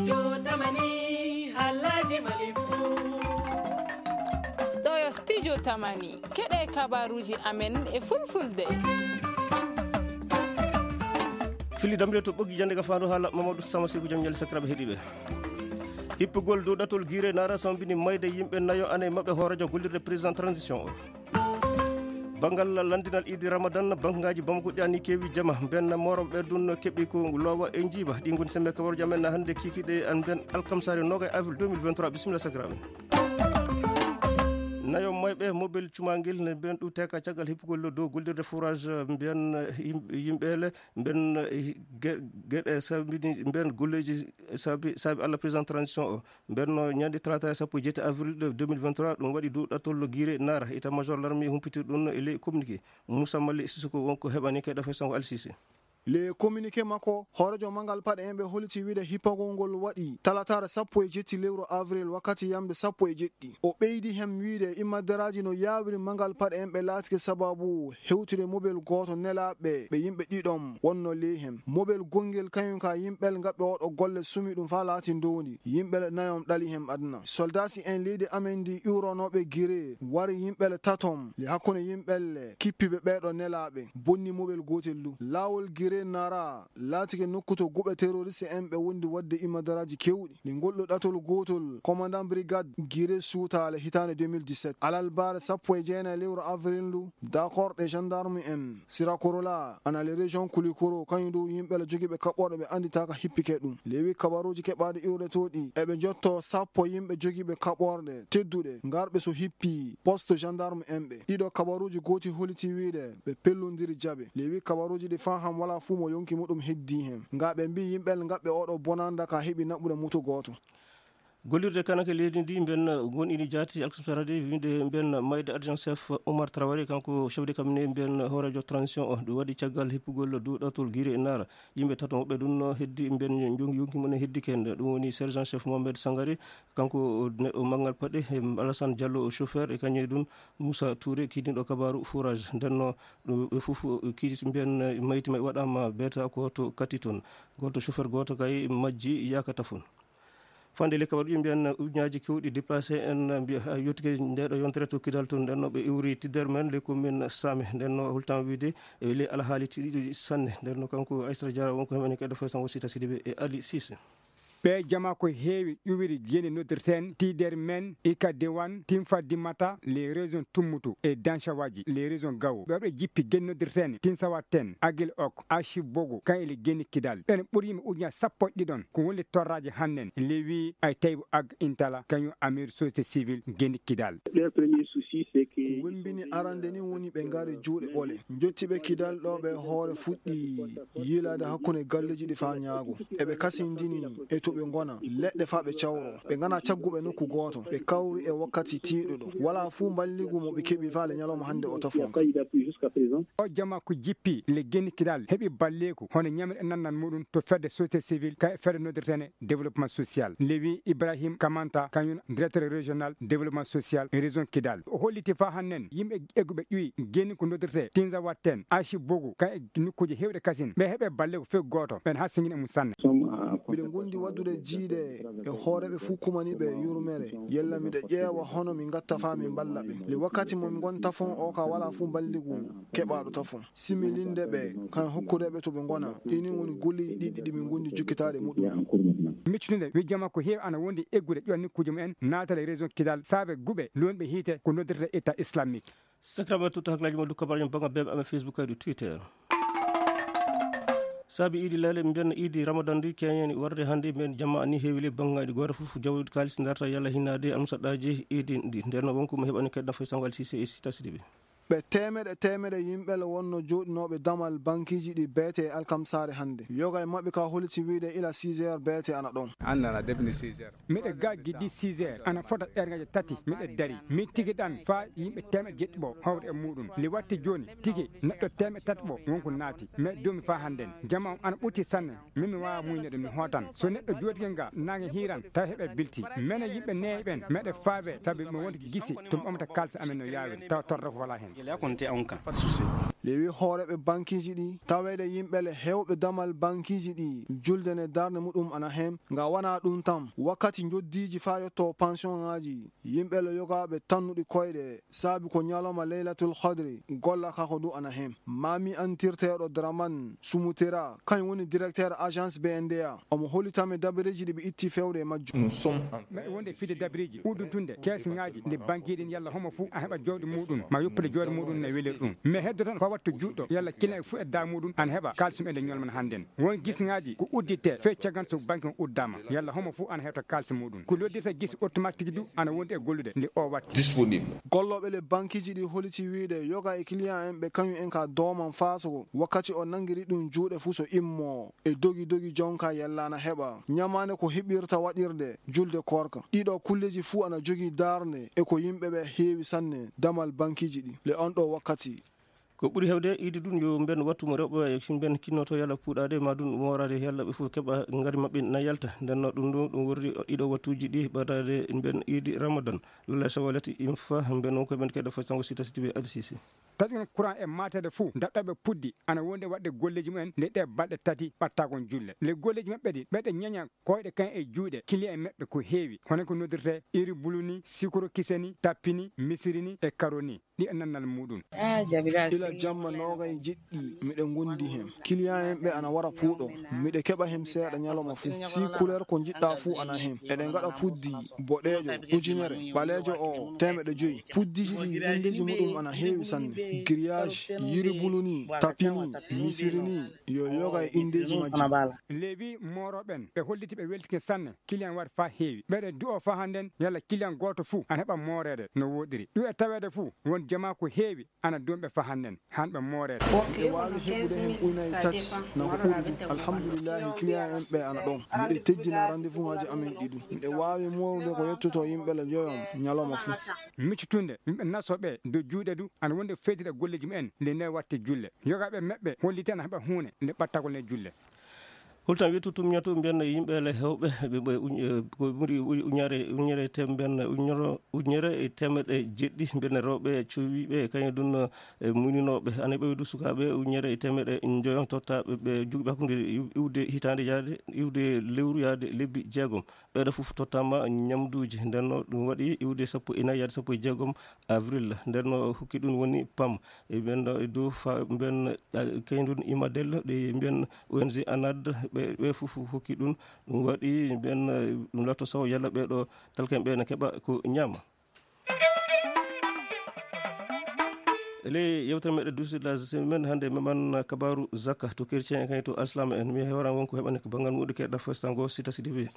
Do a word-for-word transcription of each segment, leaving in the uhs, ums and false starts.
Studio Tamani, Halaji Malifu. Ɗo yo Studio Tamani, keɗe kabaruji amen e fulfulde. Fili damre to ɓoggi jande ka faandu haala Mamadou Sama Seku jam ñali sakiraɓe heɗiɓe. Hippugol dow ɗatol Guiré Nara sambini mayde yimɓe nayo ana e maɓɓe hoorejo gollirde président transition o. Banngal lanndinal iidi Ramadan, banngaji Bamako ɗi ani keewi jama. Mbenna mooroɓe ɓe ɗum keɓi ko loowa e njiiba. Ɗi ngoni sembe kabaruji amen hannde kikiɗe an mben alkamsare noga e avril deux mille vingt-trois. Bisimilla sakiraaɓe. Nayo mayɓe mobel cumangel ne mben ɗu teka caggal hippugol dow gollirde forage mbiyan yim-, yimɓeele mben, eh, ge-, geɗe sabini mben golleji sabi, sabi Allah président transition o. Mbenno ñande talaata sappo e jeetati avril de deux mille vingt-trois, ɗum waɗi dow ɗattol Guiré Nara. État-major l'armée humpiti ɗum e ley communiqué. Moussa Mali Sissoko wonko heɓani kay ɗafe sango Al Sisi. Le communiqué makko, hoorejo mangal paɗe en ɓe holiti wiide hippagol ngol waɗi talataare sappo e jeetati lewru avril wakkati yamde sappo e jeeɗiɗi. O ɓeydi hem wiide immadaraaji no yaawiri mangal paɗe en ɓe laatike sababu hewtude mobel gooto nelaaɓe ɓe yimɓe ɗiɗon wonno ley hem. Mobel gonngel kañum ka yimɓel ngaɓɓe oɗo golle sumi ɗum faa laati ndoondi. Yimɓe nayom ɗali hem aduna. Soldasi en leydi amen ndi iwronooɓe Guiré wari yimɓe taton le hakkunde yimɓe le kippiɓe ɓeeɗo nelaaɓe bonni mobel gootel ndu. Laawol Guiré Nara laatike nokku to guɓe terroriste en ɓe wondi waɗde immadaraaji keewɗi. Nde ngol ɗo ɗatol gootol, commandant brigade Guiré suutaale hitaande deux mille dix-sept. Alarba sappo e jeenayi lewru avril ndu, dakor ɗe gendarme en Sirakorola, ana le région Kulikoro, kañum dow yimɓe la jogiiɓe kaɓɓorɗe ɓe annditaaka hippike ɗum. Lewi kabaruuji keɓaaɗi iwretooɗi, eɓe njotto sappo yimɓe jogiiɓe kaɓɓorɗe tedduɗe, ngarɓe so hippi poste gendarme en ɓe. Ɗiɗo kabaruuji gooti holiti wiide ɓe pellondiri jaɓe. Lewi kabaruuji ɗi faa ham walaa fuu mo yonki muɗum heddii hen. Nga ɓe mbii yimɓe ngaɓɓe oɗo bonanda ka heɓi naɓude mutu gooto. Gollirde kanake leydi ndi mben gonɗini jaati alkasarade winde mben mayde adjoint chef Omar Traoré, kanko chef de cabinet mben hoorejo transition o. Ɗum waɗi caggal hippugol duɗatol Guiré Nara. Yimɓe tato woɓɓe ɗum no heddi mben jongi yonki mum en heddi ken. Ɗum woni sergent chef Mohamed Sangare, kanko neɗɗo mangal paɗe, e Alassane Diallo chauffeur, e kañum e ɗum Moussa Touré kiidiɗo kabaru forage. Ndenno ɗum ɓe fof kiiti mbiyan mayti may waɗama beeta ko to katti toon. Goto chauffeur goto kay majji yakata fon. Fande le kabaruji mbiyan ujunaji kewɗi déplacé en mbiya ha yottike ndeɗo yontere to Kidal toon. Ndenno ɓe iwri tidder men le commune Same. Ndenno hultan wiide e le alhaali tiɗiɗo sanne. Ndenno kanko Aissata Diarra wonko heɓani kadi fo sango Sita Sidibé e Ali Cissé. Ɓe jama ko heewi ƴuwiri geni noddirten tiider men ika diwan timfa dimmata les régions tummutu e dancawaji les régions gawo ɓe waɗo jippi geni noddirten tinsawaten agil ok ashi bogo kan ele geni kidal ɓen ɓuri yimɓe ujunaaji sappo e ɗiɗon ko woni torraji hannen lewi ay taybu ag intala kañum amir société civile geni kidal. Ko wembini arande ni woni ɓe ngari juuɗe ɓole. Njotti ɓe Kidal ɗo ɓe hoore fuɗɗi yiilaade hakkunde galleeji ɗi faa ñaago. Eɓe kasindini e to ɓe ngona, leɗɗe faa ɓe cawro. Ɓe ngana cagguɓe nokku gooto. Ɓe kawri e wakkati tiiɗuɗo. Walaa fuu mballigu mo ɓe keɓi faa le ñalawma hannde o tafon. O jama ko jippi le geni Kidal heɓi balleeku hono ñamre e nannal muɗum to fedde société civile ka e fedde noddirtene développement social. Lewi Ibrahim Kamanta, kañum directeur régional développement social région Kidal. O holliti faa hannen yimɓe egguɓe ƴuwi geni ko noddirte Tinzawaten, Ashi Bogu, ka e nokkuuje heewɗe kasin. Ɓe heɓe balle ko few gooto, ɓen haa singin e mum sanne. Miɗo gondi waddude jiiɗe e hooreɓe fuu kumani ɓe yurmere. Yalla miɗo ƴeewa hono mi ngatta faa mi mballa ɓe. Le wakkati mo mi ngonta fon o ka wala fuu balligu keɓaaɗo tafon. Similinde ɓe, kan hokkude ɓe to ɓe ngona. Ɗi ni woni golleeji ɗiɗi ɗi min gondi jokkitaade muɗum. Miccude nde, wi jama ko heewi ana wondi eggude ƴuwa nokkuuje mumen, naatale région Kidal, saabe guɓe, luwonɓe hiite, ko noddirta État islamique. Sakiraaɓe, tutta hakkilaaji mon, dukka baraji mon, bannga B B M, Facebook, kadi Twitter. Saabi iidi laale, mbiyen iidi Ramadan ndi keñeni warde hannde, mbiyen jamma ni heewi le banngaji gooto fof jawdi kaalis darta yalla hinaade almusaɗɗaaji iidi ndi. Nden wonko mo heɓani kadi nafoy sango Al Sisi e Sita Sidibe. Ɓe teemeɗe teemeɗe yimɓe le wonno jooɗinooɓe damal bankiiji ɗi beete e alkamsaare hannde. Yoga e maɓɓe ka holiti wiide ila six heures beete ana ɗon. Annana debni six heures. Miɗo ga giddi six heures, ana fota ɓerngaji tati, miɗo dari. Mi tigi ɗan faa yimɓe teemeɗe jeɗɗi ɓo hawri e muɗum. Li watti jooni, tigi neɗɗo teemeɗe tati ɓo wonko naati. Mais dumi faa hannden. Jama on ana ɓutti sanne. Min mi waawa muñde ɗum, mi hootan. So neɗɗo jooɗike nga, naange hiiran, tawa heɓe bilti. Mene yimɓe neeɓi ɓen, meɗe faabe, sabi mi wonti gisi, to mi ɓamta kaalisi amen no yaawiri, tawa torra ko wala hen. Gila konte on kan. Pas de souci. Lewi hooreɓe bankiiji ɗi taweede yimɓe le hewɓe damal bankiiji ɗi julde ne darnde muɗum ana heen. Nga wana ɗum tan, wakkati njoddiiji faa yotto pensionŋaaji, yimɓe le yogaaɓe tannuɗi koyɗe saabi ko ñalawma Leylatul Qadri, golla kako du ana heen. Maami antirteeɗo Draman Sumutera, kañum woni directeur agence B N D A. Omo hollitami dabareeji ɗi ɓe itti fewde e majjum. Meɗe wonde fide dabareeji udduntunde keesiŋaaji nde bankiiɗin yalla homo fuu a heɓa jooɗi muɗum ma yoppude jooɗi muɗum ne welir ɗum. Mais heddo tan ko wattu juuɗo yalla kina e fuu edda muɗum ana heɓa kaalisi mum e nde ñolman hannden. Won gisiŋaaji ko udditte fee cagan so banki on uddaama yalla homo fuu ana heɓta kaalisi muɗum. Ko loddirta gisi automatique du ana wondi e gollude nde o watti. Disponible. Gollooɓe le bankiiji ɗi holliti wiyde yoga e client en ɓe kañum en ka dooman faasogo wakkati o nanngiri ɗum juuɗe fuu so immo e dogi dogi jonka yalla ana heɓa ñamaande ko heɓirta waɗirde julde koorka. Ɗiɗo kulleeji fuu ana jogii darnde e ko yimɓe ɓe heewi sanne damal bankiiji ɗi le on ɗo wakkati. Ko ɓuri heewde iidi ɗum yo mben wattu mo rewɓe mben kinnoto yalla puuɗaade ma ɗum mooraade yalla ɓe fof keɓa ngari maɓɓe na yalta. Ndenno ɗum ɗo ɗum worri ɗiɗo wattuuji ɗi ɓadaade mben iidi Ramadan. Lula sawalati imfa mben ko ɓen keɗa fo sango sita siti ɓe adisisi. Taƴon courant e maateede fuu daɗɗaɓe puddi ana wondi e waɗde golleeji mumen nde ɗe balɗe tati ɓattagol julle. Le golleeji maɓɓe ɗi ɓeɗe ñaña koyɗe kan e juuɗe kiliya e maɓɓe ko heewi hono ko noddirte iri bulu ni, sikoro kise ni, tappi ni, misiri ni e karo ni. Ɗi e nannal muɗum. Ila jamma noogay jeɗɗi miɗe ngondi heen. Kiliyan en ɓe ana wara puuɗo. Miɗe keɓa heen seeɗa ñalawma fuu. Si kuleer ko njiɗɗa fuu ana heen. Eɗe ngaɗa puddi boɗeejo ujunere, ɓaleejo o teemeɗe joyi. Puddiji ɗi inndeeji muɗum ana heewi sanne. Giriyaaji, yiri bulu ni, tapi ni, misiri ni, yo yoga e inndeeji majji. Leewi mooroɓen ɓe holliti ɓe weltike sanne. Kiliyan wari faa heewi. Ɓeɗe du'o faa hannden yalla kiliyan gooto fuu ana heɓa mooreede no wooɗiri. Ɗum e taweede fuu won jamaa ko heewi ana doomɓe faa hannden han ɓe mooreede. Miɗe waawi heɓude heen ujunaaji tati na ko ɓuri ɗum. Alhamdulillahi, kiliyan en ɓe ana ɗon. Miɗe teddina rendez-vous ŋaaji amen ɗi ɗum. Miɗe waawi moorude ko yettoto yimɓe le njoyon ñalawma fuu. Miccutunde yimɓe naso ɓe do juuɗe du ana wonde feytida golleeji mumen nde ne watti julle. Yogaaɓe maɓɓe holliti ana heɓa huune nde ɓattagol ne julle. Hultan wiytu tumñatu mbiyen yimɓe le hewɓe ɓe ɓe uñ- eh, ko ɓuri uñ- uñare uñere tem mbiyen uñoro uñere e temeɗe jeɗɗi mbiyen rewɓe cowiɓe kañum ɗum e muninooɓe ana ɓeydu sukaaɓe uñere e temeɗe njoyo tottaɓe ɓe jugɓe hakkunde iw- iwde hitaande yaade iwde lewru yaade lebbi jeegom. Ɓeeɗo fof tottaama ñamduuji ndenno ɗum waɗi iwde sappo e nayi yaade sappo e jeegom avril. Ndenno hokki ɗum woni pam e mbiyen ɗo e dow fa mbiyen kañum ɗum imadel ɗe mbiyen O N G anad ɓe ɓe fof hokki ɗum. Ɗum waɗi mbiyen ɗum latto sawo yalla ɓeeɗo talken ɓe ne keɓa ko ñaama. E ley yewtere meɗen duusi la semaine hannde meman kabaru zakka to chrétien en kañum to aslama en mi hewran wonko heɓani ko banngal muɗum keɗɗa fostango sita sidi wi.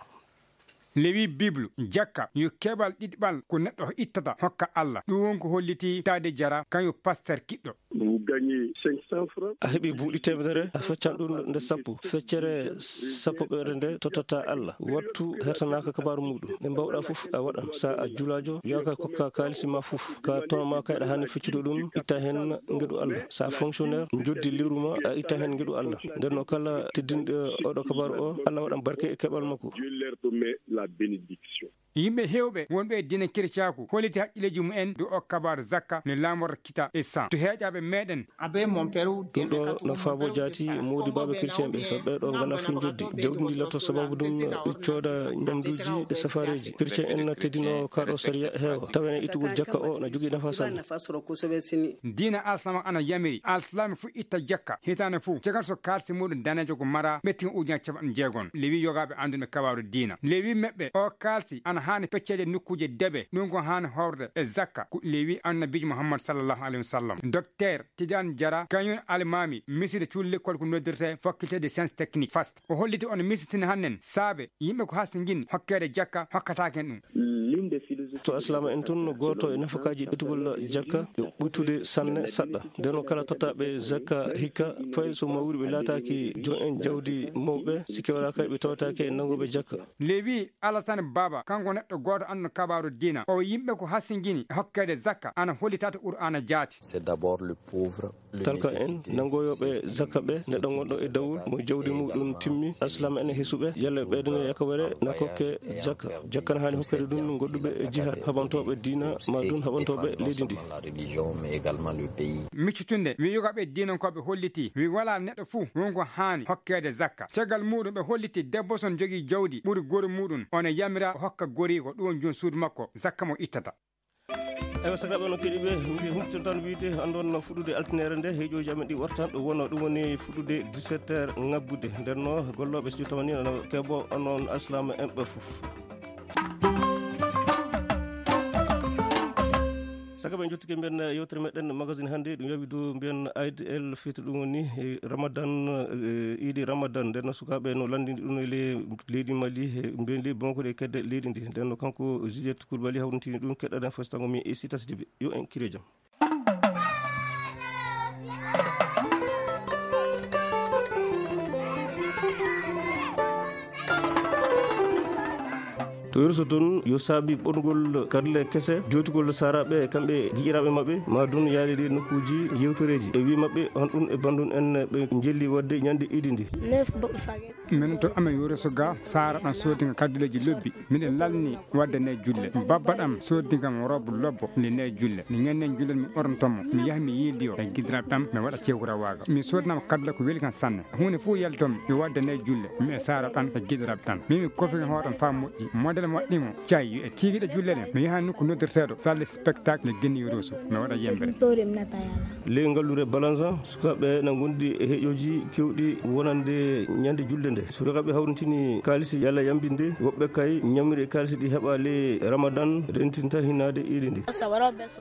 Lewi biblu jakka yo keɓal ɗiɗɓal ko neɗɗo ittata hokka allah ɗum won ko holliti taade jara kañum pasteur kiɗɗo. Vous gagnez cinq cents francs. A heɓi buuɗi temedere a feccan ɗum nde sappo feccere sappo ɓeere nde tottata allah wattu hertanaka kabaru muɗum e mbawɗa fof a waɗan sa a julajo yaka kokka kalisi ma fof ka tono ma kayɗa hani feccude ɗum itta hen ngeɗu allah sa fonctionnaire joddi liru ma a itta hen ngeɗu allah nden no kala teddinɗo oɗo kabaru o allah waɗan barke e keɓal makko. Dieu leur remet la bénédiction. Yimɓe heewɓe wonɓe e diine kirciyaaku holliti haqqilleeji mumen dow o kabaaru zakka ne laamorta kita e san to heeƴaaɓe meɗen. Ɗum ɗo no faabo jaati moodi baaɓe kirciyaaɓe so ɓee ɗo ngala fuu njoddi jawdi ndi lotto sababu ɗum ɓe cooda ñamduuji e safareeji kirciyen en na teddino kaa ɗo sariya heewa tawa ene ittugol jakka o na jogii nafa sanne. Diina alsalaam ana yamiri alsalaami fuu itta jakka hitaande fuu caggal so kaalsi muɗum daneejo ko mara ɓettigen ujunaaji capanɗe jeegom lewi yogaaɓe annduɓe kabaaru diina lewi meɓɓe o kaalsi ana haani pecceede nokkuuje deɓe ɗum ko haani horde e zakka ko lewi annabiijo muhammad sallallahu alayhi wa sallam docteur tidiane jara kañum almaami miside cuuɗi lekkol ko noddirte faculté de science technique fast o holliti on misitini hannen saabe yimɓe ko hastingin hokkeede jakka hokkataake en ɗum. To aslaama en tun gooto e nafakaaji ɓetugol jakka yo ɓuytude sanne saɗɗa nden o kala tottaaɓe zakka hikka fay so mawri ɓe laataaki joom en jawdi mawɓe sikke walaaka ɓe tawataake e nanngooɓe jakka. Lewi alasane baaba kanko neɗɗo gooto anndo kabaaru diina o yimɓe ko hasingini e hokkeede zakka ana hollitaata qur'aana jaati. Talka en nanngoyooɓe zakka ɓe neɗɗo gonɗo e dawol mo jawdi muɗum timmi aslaama en e hesuɓe yalla ɓeydane yakawere na kokke jakka jakka na haani hokkeede ɗum. Ɓe jihad haɓantooɓe diina, ma dun haɓantooɓe leydi ndi. Miccitunde, wi yogaaɓe diinankooɓe hollitii, wi walaa neɗɗo fuu wonko haani hokkeede zakka. Caggal muuɗum, ɓe hollitii debbo son jogii jawdi ɓuri gori muuɗum, on e yamiraa o hokka goriiko, ɗum on jooni suudu makko, zakka mo ittata. Ewa, sakiraaɓe, no keɗiiɓe, mbi humpito tan wiide, anndon fuɗɗude altinere nde, heeƴooji amen ɗi wartan, ɗo wonno ɗum woni fuɗɗude dix-sept heures ŋabbude. Nden no gollooɓe studio tawani no keɓo onon alsilaama en ɓe fof. Saka ɓe jottike mbiyen yewtere meɗen magazine hannde, ɗum yawi dow mbiyen Aid el Fitr, ɗum woni, eh, Ramadan, eh, iidi Ramadan. Nden no sukaaɓe no lanndini ɗum e le-, leydi Mali, eh, mbiyen leydi Bamako e kedde leydi ndi. Nden no kanko Juliette Coulibaly hawrintini ɗum, keɗɗaɗen fes tango mi e Sita Sidibé. Yo en kire jam. To Yurso toon, yo saabi ɓoɗngol karle kese, jootugol saaraaɓe e kamɓe giƴiraaɓe maɓɓe, ma dun yaade ɗi nokkuuji yewtoreeji. E wii maɓɓe, honɗun e banndun en ɓe njelli waɗde ñande iidi ndi? Minen to amen Yurso ga, saara ɗan soodi nga kadduleeji lobbi. Miɗen lalni waɗde ne julle. Babba ɗam soodi ngam robe lobbo, ndi ne julle. Ndi ñande julle mi ɓornoto mo. Mi yaha mi yiildi o e giɗiraaɓe am, mi waɗa cewkura waaga. Mi soodnama kaddule ko weli kan sanne. Huunde fof yaltomi, mi waɗde nde julle, mi e saara ɗan e giɗiraaɓe ɗan. Min mi kofi hoore am faa moƴƴi. Modèle mo waɗɗi mo, cayi, yo e tiigiɗe julle ɗen. Mi yaha nokku noddirteeɗo, salle spectacle e Guinée Rosso. Mi waɗa yembere. Ley ngallure Balanza, sukaaɓe na ngondi e heƴooji kewɗi wonande ñande julde nde. Sukaaɓe hawrintini kaalisi yalla yambinde, woɓɓe kay ñamri e kaalisi ɗi heɓa ley Ramadan, rentinta hinaade iidi ndi.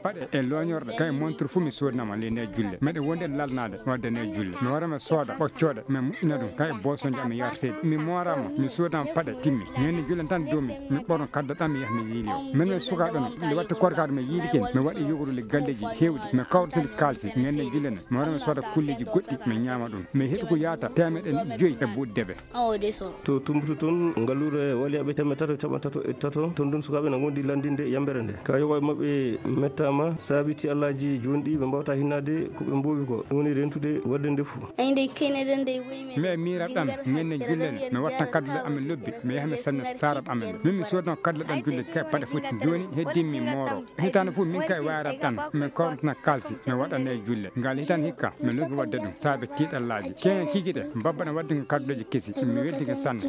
Paɗe e looñorɗe, kay montre fuu mi soodnama ley nde julle. Meɗe wondi e lalnaade wadde nde julle. Mi wara mi sooda ɓoccooɗe, mi moƴƴina ɗum, kay boosonje am mi yarteeɗi. Mi mooraama, mi soodnama paɗe, timmi. Ñande julle tan doomi, mi ɓorno kadda ɗam, mi yaha mi yiili o. Min mi sukaaɓe no, nde waɗti korkaaɗo mi yiili ken, mi waɗi yogorude galleeji heewɗi, mi kawritini kaalisi, ñande julle ne. Mi wara mi sooda kulleeji goɗɗi, mi ñaama ɗum. Mi heɓi ko yaata teemeɗe joyi e buuɗi debe. To Tumbutu toon, ngalluure waliyaaɓe teemeɗɗe tato e capanɗe tato e tato, toon ɗum sukaaɓe na ngondi lanndinde yambere nde. Ka yoga e maɓɓe mettaama, saabi ti Allaaji jooni ɗi ɓe mbawata hinnaade ko ɓe mboowi ko. Ɗum woni rentude waɗde ndefu. Mi e miiraaɓe am, ñande julle ne, mi watta kaddule amen lobbi, mi yaha mi sanna saaraaɓe amen. Min mi soodno kaddule ɗam julle ka paɗe foti. Jooni heddii mi mooro. Hitaande fof min kay wayrata ɗam, min kawritana kaalisi, mi waɗa nde julle. Ngal hitaande hikka, mi luggi waɗde ɗum, saabe tiiɗallaaji. Keeŋa kiikiiɗe, mbabba ɗam waɗde ko kadduleeji kesi, mi weltike sanne.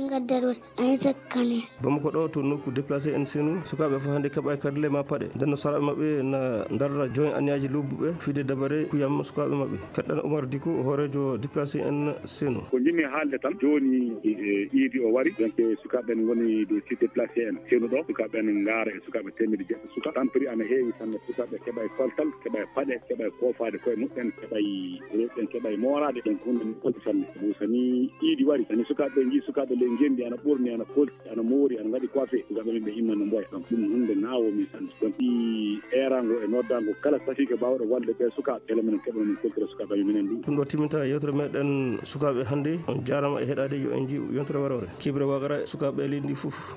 Bamako ɗo to nokku déplacé en senu, sukaaɓe fof hannde keɓa e kadle ma paɗe. Nden no saraaɓe maɓɓe na ndarra join aniyaaji lobbuɓe, fide dabare kuyam sukaaɓe maɓɓe. Keɗɗan Omar Diko, hooreejo déplacé en senu. Ko njimmi haalde tan, jooni, e, iidi o wari, donc, sukaaɓe en ngoni dow site déplacé en senu ɗo. Sukaaɓe en ngaara e sukaaɓe teemedde jeeɗiɗi suka. Tampiri ana heewi sanne. Sukaaɓe keɓa e koltal, keɓa e paɗe, keɓa e koofaade koye muɓɓen, keɓa e rewɓe, keɓa e mooraade. Donc, hunde nde kolti sanne. Sabu so ni iidi wari, so ni sukaaɓe nji sukaaɓe ley ngenndi ana ɓorni, ana kolti, ana moori, ana ngaɗi coiffé, sukaaɓe men ɓe imma no mboya. Donc, ɗum hunde naawo min sanne. Donc, ɗi eeraango e noddaango kala safiike baawɗo wallude ɓe sukaaɓe, mbele minen keɓa min koltira sukaaɓe amen minen ɗum. Ɗum ɗo timminta yewtere meɗen sukaaɓe hannde. On jaaraama e heɗaade, yo en njiw yontere waroore. Kibre wagara sukaaɓe leydi ndi fof.